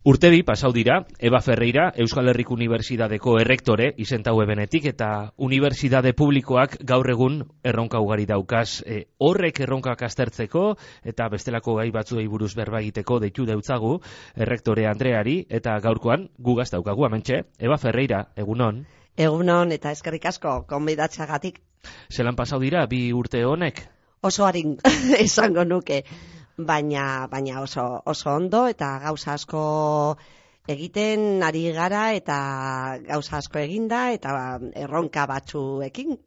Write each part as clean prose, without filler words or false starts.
Urte bi pasau dira, Eba Ferreira, Euskal Herriko Unibertsitateko errektore izentaue benetik, eta unibertsitate publikoak gaur egun erronka ugari daukaz. Horrek erronkak aztertzeko eta bestelako gai batzuei buruz berba egiteko deitu deutzagu errektore Andreari, eta gaurkoan gugaz daukagu hementxe. Eba Ferreira, egunon. Egunon eta eskerrik asko gonbidatzeagatik. Zelan pasau dira bi urte honek? Oso arin esango nuke. Baina oso ondo eta gauza asko egiten ari gara eta gauza asko eginda eta erronka batzuekin.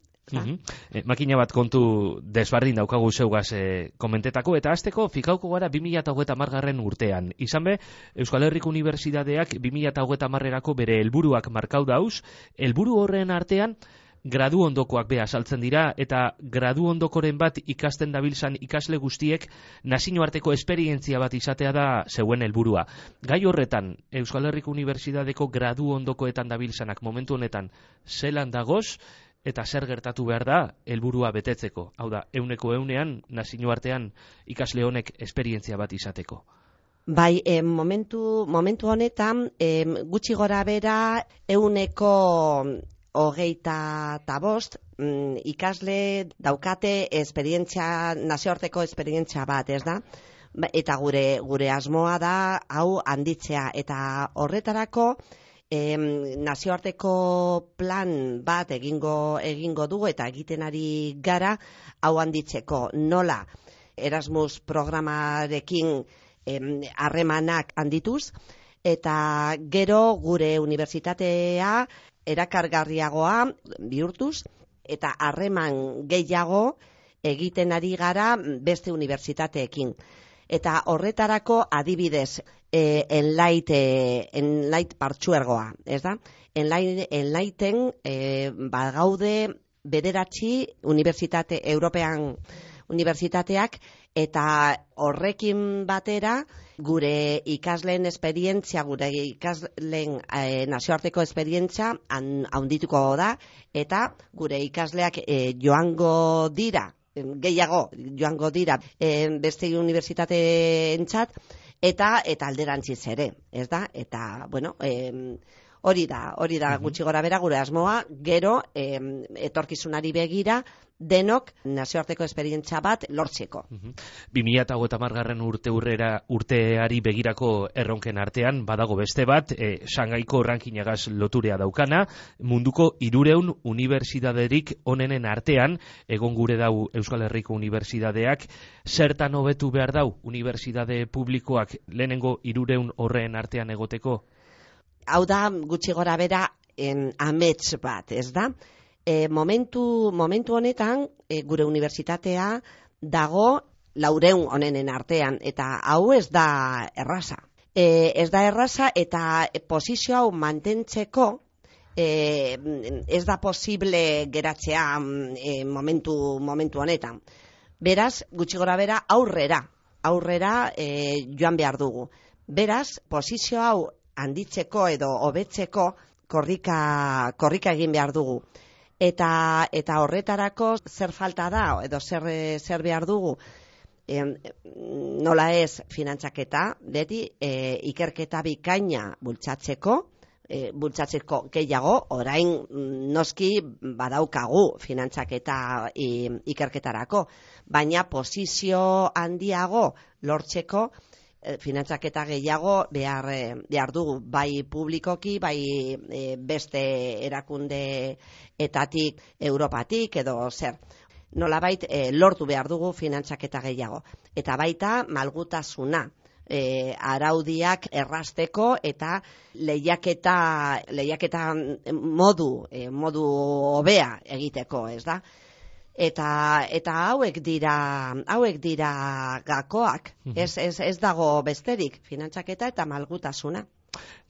Makina bat kontu desbardin daukagu zeugaz komentetako, eta hasteko fikauko gara 2030 urtean. Izan be, Euskal Herriko Unibertsitateak 2030erako bere helburuak markau dauz, helburu horren artean gradu ondokoak be azaltzen dira, eta gradu ondokoren bat ikasten dabiltzan ikasle guztiek nazioarteko esperientzia bat izatea da zeuen helburua. Gai horretan, Euskal Herriko Unibertsitateko gradu ondokoetan dabiltzanak momentu honetan zelan dagoz, eta zer gertatu behar da helburua betetzeko. Hau da, 100% nazioartean ikasle honek esperientzia bat izateko. Bai, momentu honetan gutxi gora bera 125 ikasle daukate nazioarteko esperientzia bat, ez da? Eta gure asmoa da hau handitzea, eta horretarako nazioarteko plan bat egingo dugu eta egiten ari gara hau handitzeko. Nola Erasmus programarekin harremanak handituz, eta gero gure unibertsitatea erakargarriagoa bihurtuz, eta harreman gehiago egiten ari gara beste unibertsitateekin. Eta horretarako adibidez, Enlight partzuergoa, ez da? Enlighten bagaude 9 unibertsitate European unibertsitateak, eta horrekin batera gure ikasleen esperientzia, gure ikasleen nazioarteko esperientzia handituko da, eta gure ikasleak joango dira beste unibertsitateentzat, eta alderantziz ere, ez da? Eta, bueno, hori da gutxi gora bera gure asmoa, gero etorkizunari begira denok nazioarteko esperientzia bat lortzeko. 2030 urteari begirako erronken artean badago beste bat, Shangaiko rankingagaz loturea daukana, munduko 300 unibertsitaterik onenen artean egon gure dau Euskal Herriko Unibertsitateak. Zertan hobetu behar dau unibertsitate publikoak lehenengo 300 horren artean egoteko? Hau da gutxi gora bera amets bat, ez da? Momentu honetan gure unibertsitatea dago 400 onenen artean, eta hau ez da erraza. Ez da erraza, eta posizio hau mantentzeko ez da posible geratzea momentu honetan. Beraz, gutxi gora bera aurrera joan behar dugu. Beraz, posizio hau handitzeko edo hobetzeko korrika egin behar dugu. Eta horretarako zer falta da edo zer behar dugu? Nola ez, finantzaketa, beti ikerketa bikaina bultzatzeko gehiago, orain noski badaukagu finantzaketa ikerketarako, baina posizio handiago lortzeko finantzaketa gehiago behar dugu, bai publikoki, bai beste erakundeetatik, Europatik edo zer. Nolabait lortu behar dugu finantzaketa gehiago. Eta baita malgutasuna, araudiak errazteko eta lehiaketa modu hobea egiteko, ez da? Eta hauek dira gakoak, ez dago besterik, finantzaketa eta malgutasuna.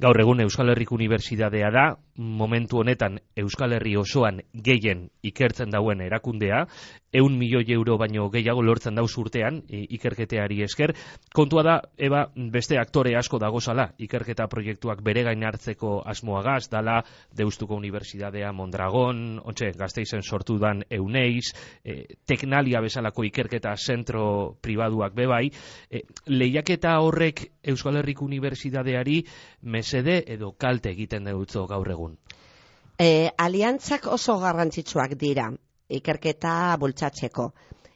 Gaur egun Euskal Herriko Unibertsitatea da, momentu honetan Euskal Herri osoan gehien ikertzen dauen erakundea, 100 milioi euro baino gehiago lortzen dauz urtean ikerketeari esker. Kontua da, Eba, beste aktore asko dagozala, ikerketa proiektuak bere gain hartzeko asmoagaz, dala Deustuko Unibertsitatea Mondragon, Gasteizen sortu dan Euneiz, Teknalia bezalako ikerketa zentro pribaduak bebai. Lehiaketa horrek Euskal Herriko Unibertsitateari mesede edo kalte egiten dutzo gaur egun? Aliantzak oso garrantzitsuak dira ikerketa bultzatzeko.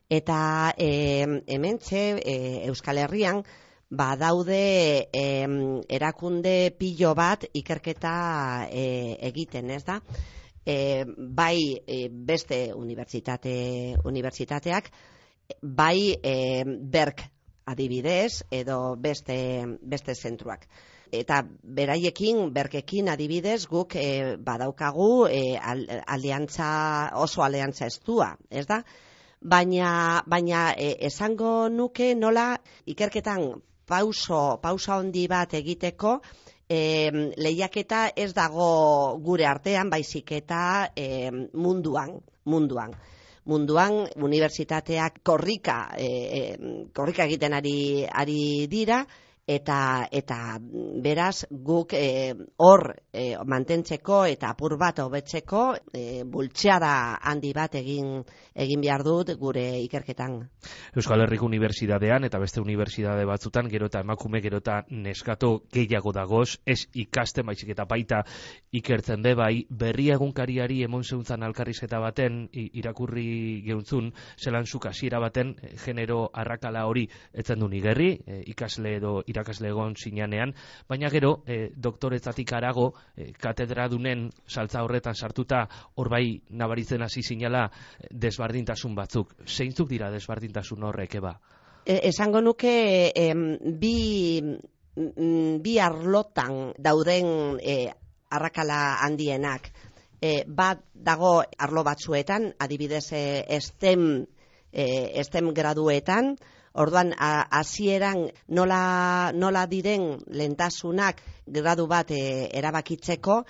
Eta hementxe Euskal Herrian badaude erakunde pilo bat ikerketa egiten, ez da? Bai beste unibertsitateak, bai Berk adibidez, edo beste zentruak. Eta beraiekin, Berkekin adibidez, guk badaukagu oso aliantza estua, ez da? Baina esango nuke nola ikerketan pausa handi bat egiteko lehiaketa ez dago gure artean, baizik eta munduan. Munduan unibertsitateak korrika egiten ari dira, eta beraz guk hor mantentzeko eta apur bat hobetzeko bultzeada handi bat egin behar dut gure ikerketan. Euskal Herriko Unibertsitatean eta beste unibertsitate batzutan gero eta emakume gero eta neskato gehiago dagoz, ez ikasten baizik eta baita ikertzen be bai. Berria egunkariari emon zeuntzan alkarrizketa baten irakurri geuntzun, zelan zuk hasiera baten genero arrakala hori etzen du nigerri, ikasle edo irakasle egon zinanean, baina gero doktoretzatik harago katedradunen saltza horretan sartuta hor bai nabaritzen hasi zinala desbardintasun batzuk. Zeintzuk dira desbardintasun horrek, Eba? Esango nuke bi arlotan dauden arrakala handienak. Bat dago arlo batzuetan, adibidez STEM graduetan. Orduan, hasieran nola diren lehentasunak gradu bat erabakitzeko,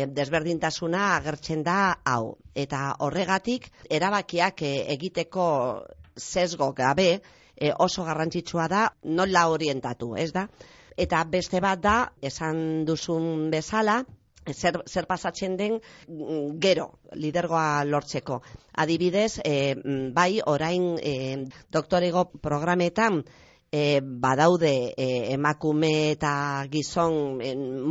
desberdintasuna agertzen da hau. Eta horregatik, erabakiak egiteko sesgo gabe oso garrantzitsua da nola orientatu, ez da? Eta beste bat da, esan duzun bezala, zer pasatzen den gero lidergoa lortzeko. Adibidez, bai orain doktorego programetan badaude emakume eta gizon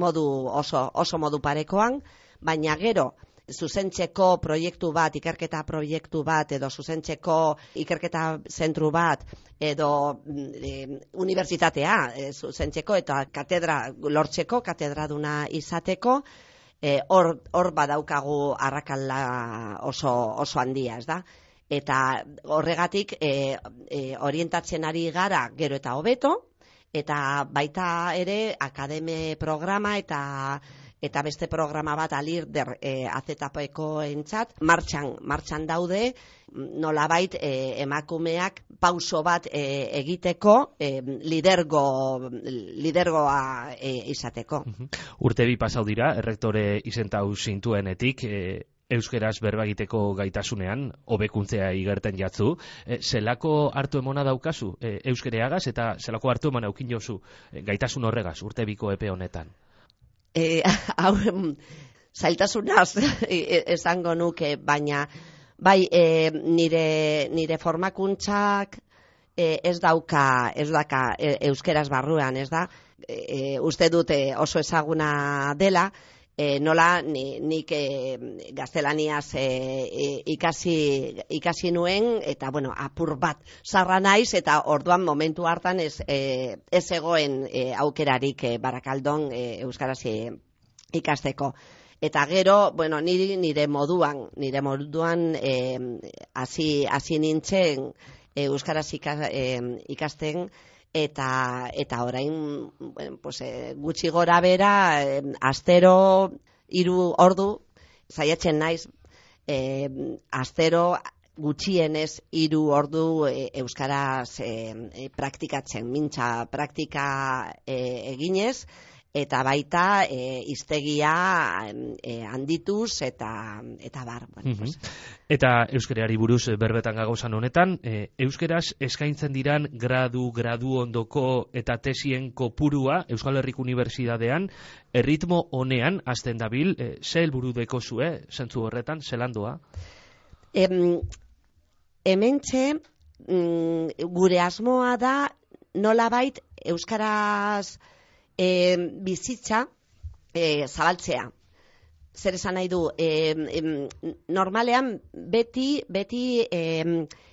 oso modu parekoan, baina gero zuzentzeko proiektu bat, ikerketa proiektu bat, edo zuzentzeko ikerketa zentru bat, edo unibertsitatea zuzentzeko eta katedra lortzeko, katedraduna izateko, hor badaukagu arrakala oso handia, ez da? Eta horregatik orientatzen ari gara gero eta hobeto, eta baita ere akademe programa eta beste programa bat Alirder AZPko entzat martxan daude, nolabait emakumeak pauso bat egiteko lidergoa izateko. Urte bi pasau dira, errektore izentau zintuenetik, euskeraz berba egiteko gaitasunean, hobekuntzea igerten jatzu. Zelako hartu emona daukazu euskereagaz eta zelako hartu emona eukin jozu gaitasun horregaz urte biko epe honetan? Hau zailtasunaz esango nuke, baina bai nire formakuntzak ez dauka euskeraz barruan, ez da? Uste dute oso ezaguna dela, nola nik gaztelaniaz ikasi nuen, eta bueno, apur bat zarra naiz, eta orduan momentu hartan ez egoen aukerarik Barakaldon euskaraz ikasteko. Eta gero, bueno, nire moduan hasi nintzen euskaraz ikasten, eta orain gutxi gora bera astero 3 ordu saiatzen naiz, astero gutxienez 3 ordu euskaraz praktikatzen, mintza praktika eginez, eta baita hiztegia handituz eta bar. Bueno, pues. Eta euskarari buruz berbetan gagozan honetan, euskeraz eskaintzen diran gradu ondoko eta tesien kopurua Euskal Herriko Unibertsitatean erritmo honean hasten dabil, ze helburu dekozue zentzu horretan, zelandoa? Hementxe gure asmoa da nolabait euskaraz bizitza zabaltzea. Zer esan nahi du, normalean beti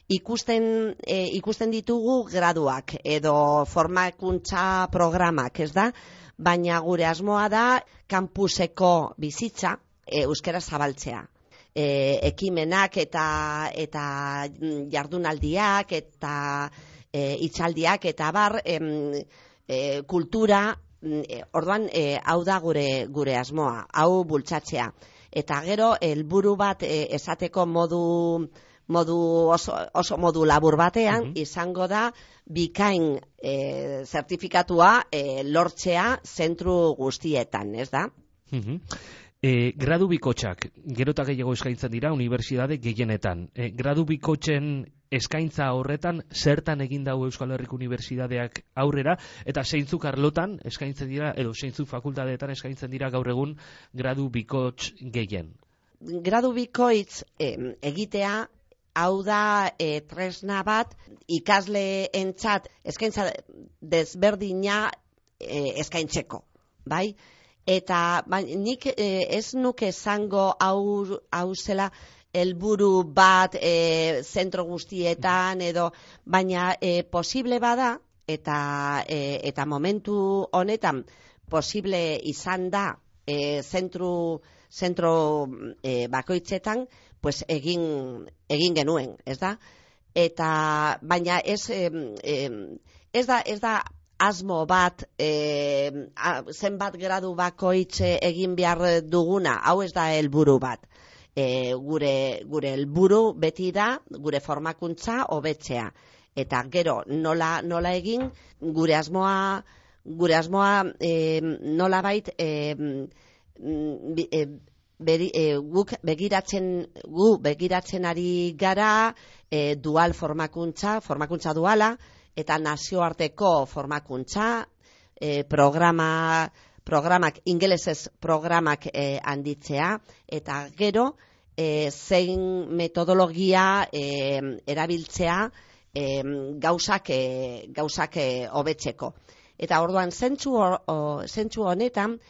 ikusten ditugu graduak edo formakuntza programak, ez da? Baina gure asmoa da kampuseko bizitza euskara zabaltzea. Ekimenak eta jardunaldiak eta hitzaldiak eta bar kultura. Orduan, hau da gure asmoa, hau bultzatzea. Eta gero, helburu bat esateko oso modu labur batean, izango da bikain zertifikatua lortzea zentru guztietan, ez da? Gradu bikotxak, gero eta gehiago eskaintzen dira unibertsitate gehienetan. Gradu bikotxen eskaintza horretan zertan egin dago Euskal Herriko Unibertsitateak aurrera, eta zeintzuk arlotan eskaintzen dira, edo zeintzuk fakultateetan eskaintzen dira gaur egun gradu bikotx gehien? Gradu bikoitz egitea, hau da tresna bat ikasleentzat eskaintza desberdina eskaintzeko, bai? Eta nik ez nuke esango hau zela helburu bat zentro guztietan edo, baina posible bada eta momentu honetan posible izan da zentro bakoitzetan, pues egin genuen, ez da? Eta baina ez da asmo bat zenbat gradu bakoitz egin behar duguna, hau ez da helburu bat. Gure helburu beti da gure formakuntza hobetzea. Eta gero nola egin gure asmoa nolabait guk begiratzen ari gara dual formakuntza duala, eta nazioarteko formakuntza, programak, ingelesez programak handitzea, eta gero zein metodologia erabiltzea gauzak hobetzeko. Eta orduan zentzu honetan,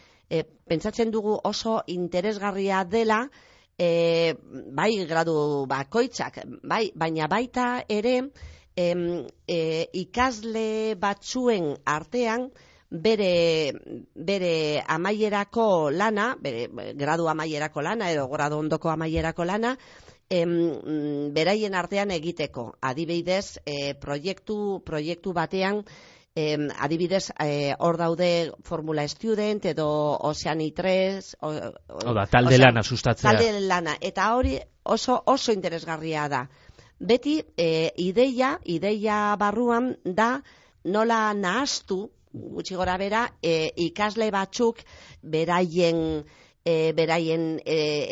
pentsatzen dugu oso interesgarria dela, bai gradu bakoitzak, bai, baina baita ere ikasle batzuen artean bere amaierako lana, bere gradu amaierako lana edo gradu ondoko amaierako lana, beraien artean egiteko. Adibidez, proiektu batean, adibidez, hor daude Formula Student edo Oceani 3, talde lana sustatzea. Talde lana, eta hori oso interesgarria da. Beti, ideia barruan da nola nahastu, gutxi gora bera, ikasle batzuk beraien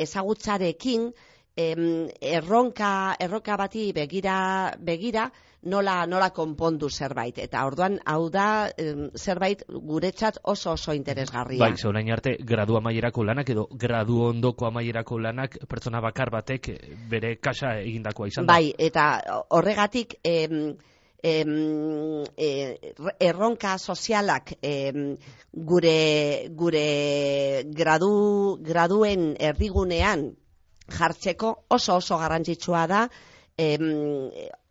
ezagutzarekin erronka bati begira nola konpondu zerbait. Eta orduan, hau da zerbait guretzat oso interesgarria. Bai, orain arte, gradu amaierako lanak edo gradu ondoko amaierako lanak pertsona bakar batek bere kasa egindakoa izan da. Bai, eta horregatik erronka sozialak gure graduen erdigunean jartzeko oso garrantzitsua da,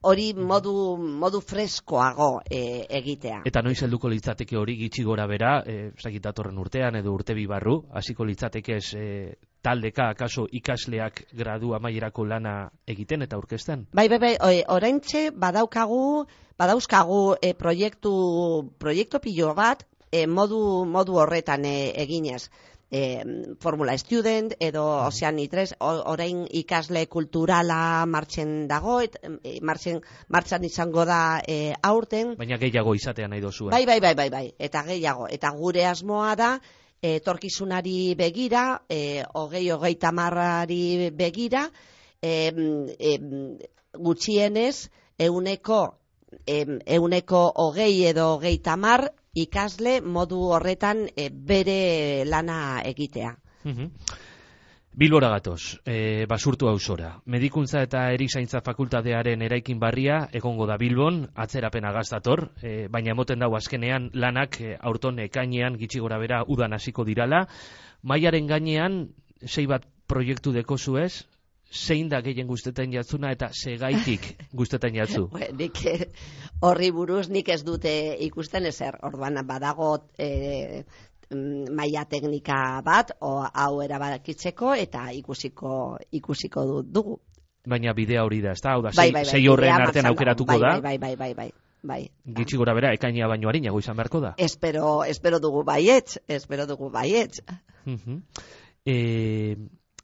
hori modu freskoago egitea. Eta noiz helduko litzateke hori gitxi gora bera, datorren urtean edo urte bi barru, hasiko litzateke taldeka akaso ikasleak gradu amaierako lana egiten eta aurkezten? Bai, oraintxe badauzkagu proiektu pilo bat modu horretan eginez. Formula Student edo Oceani 3, orain ikasle kulturala martxen dago, martxan izango da aurten. Baina gehiago izatea nahi dozu. Bai, eta gehiago. Eta gure asmoa da, etorkizunari begira, 20-30 begira, gutxienez, euneko 20 edo 30 ikasle modu horretan bere lana egitea. Bilbora gatoz, Basurtu auzora. Medikuntza eta erizaintza fakultatearen eraikin barria egongo da Bilbon, atzerapena gaztator, baina emoten dago azkenean lanak aurton ekainean gitxi gora bera udan hasiko dirala. Mailaren gainean 6 bat proiektu dekozu ez? Zein da gehien guztetan jatzuna eta segaitik guztetan jatzu? Nik horri buruz nik ez dute ikusten ezer. Orduan badago maila teknika bat, hau erabakitzeko eta ikusiko dugu. Baina bidea hori da, ezta? Hau da, sei horren artean aukeratuko da? Bai. Gitxi gora bera, ekaina baino harinago izan beharko da? Espero dugu baietz.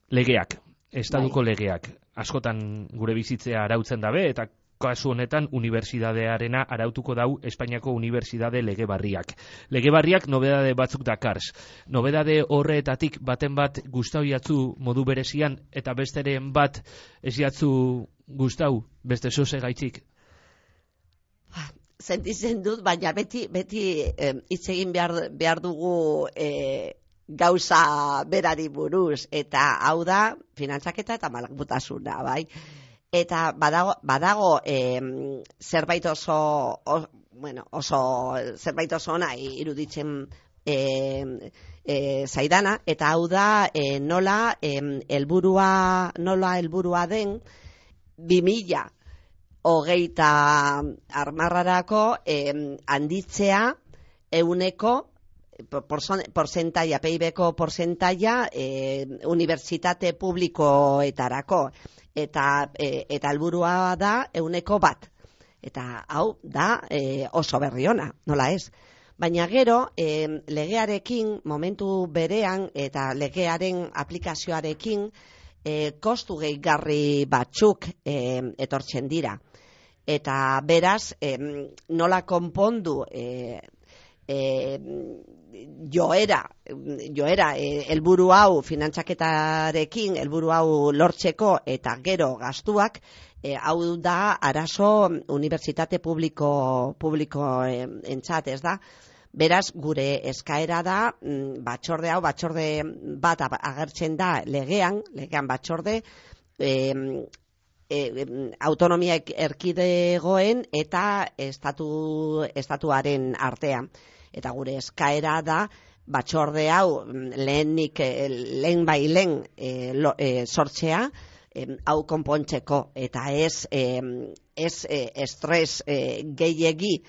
Legeak. Estaduko legeak askotan gure bizitzea arautzen dabe eta kasu honetan unibertsitatearena arautuko dau Espainiako unibertsitate lege barriak. Lege barriak nobedade batzuk dakarz. Nobedade horretatik baten bat gustau jatzu modu berezian eta besteren bat ez jatzu gustau beste zoze gaitzik? Sentitzen dut, baina beti hitz egin behar dugu gauza berari buruz, eta hau da finantzaketa eta malgutasuna, bai? Eta badago zerbait oso ona iruditzen zaidana, eta hau da nola helburua den 2030 handitzea euneko porcentaia, PIB-ko porcentaia unibertsitate publikoetarako. Eta helburua da 100%. Eta hau da oso berri ona, nola ez? Baina gero, legearekin, momentu berean, eta legearen aplikazioarekin, kostu gehigarri batzuk etortzen dira. Eta beraz, nola konpondu joera helburu hau finantzaketarekin helburu hau lortzeko eta gero gastuak, hau da arazo unibertsitate publikoentzat, ez da? Beraz, gure eskaera da batzorde bat agertzen da legean batzorde autonomia erkidegoen eta estatuaren artean. Eta gure eskaera da batzorde hau lehen sortzea hau konpontzeko eta ez estres gehiegi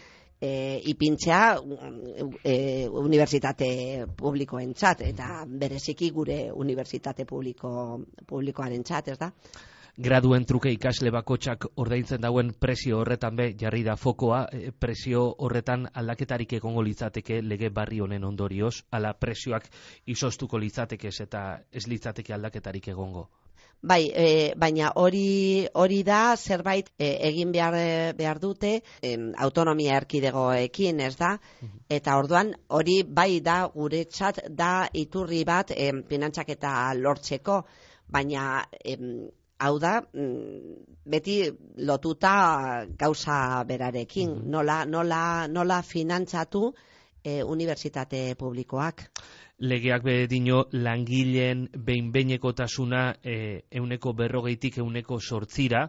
ipintzea unibertsitate publikoentzat eta bereziki gure unibertsitate publikoarentzat, ez da? Graduen truke ikasle bakotxak ordaintzen dauen presio horretan jarri da fokoa, presio horretan aldaketarik egongo litzateke lege barri honen ondorioz, ala presioak izostuko litzatekez eta ez litzateke aldaketarik egongo. Bai, baina hori da zerbait egin behar dute autonomia erkidegoekin, ez da? Eta orduan hori bai da guretzat da iturri bat finantzaketa lortzeko, baina hau da, beti lotuta gauza berarekin, nola finantzatu unibertsitate publikoak. Legeak bedino langileen behin-behinekotasuna 140-tik 108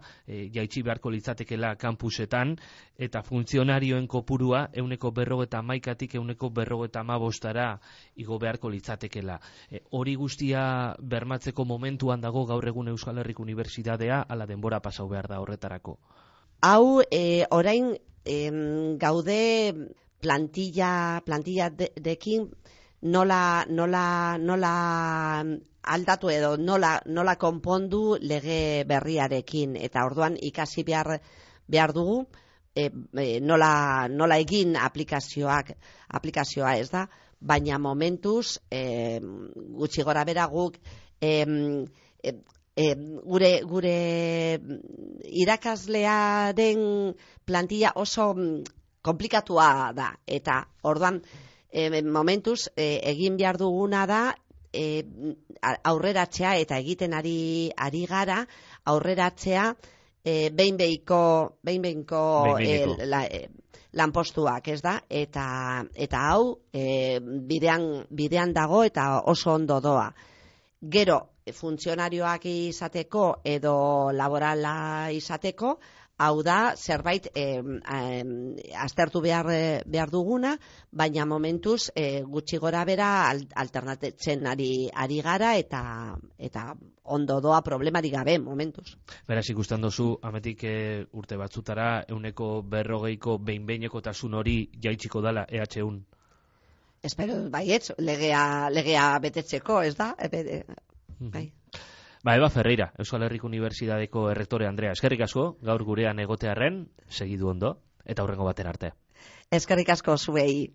jaitsi beharko litzatekela kanpusetan, eta funtzionarioen kopurua 151-tik 155 igo beharko litzatekela. Hori guztia bermatzeko momentuan dago gaur egun Euskal Herriko Unibertsitatea, ala denbora pasau behar da horretarako. Hau, orain gaude plantilla dekin nola aldatu edo nola konpondu lege berriarekin, eta orduan ikasi behar dugu nola egin aplikazioa, ez da? baina momentuz, gutxi gora bera guk, gure irakaslearen plantilla oso komplikatua da, eta orduan momentuz egin behar duguna da aurreratzea, eta egiten ari gara aurreratzea behin-behinko lanpostuak, ez da? Eta hau bidean dago eta oso ondo doa. Gero, funtzionarioak izateko edo laborala izateko, hau da, zerbait aztertu behar duguna, baina momentuz gutxi gora bera alternatzen ari gara, eta ondo doa problemari gabe momentuz. Beraz, ikusten dozu, ametik urte batzutara, 140ko behin-behinekotasun hori jaitsiko dala EH1? Espero, baietz, legea betetzeko, ez da? Bai. Eba Ferreira, Euskal Herriko Unibertsitateko errektore Andrea, eskerrik asko, gaur gurean egotearren, segidu ondo, eta hurrengo baten arte. Eskerrik asko zuei.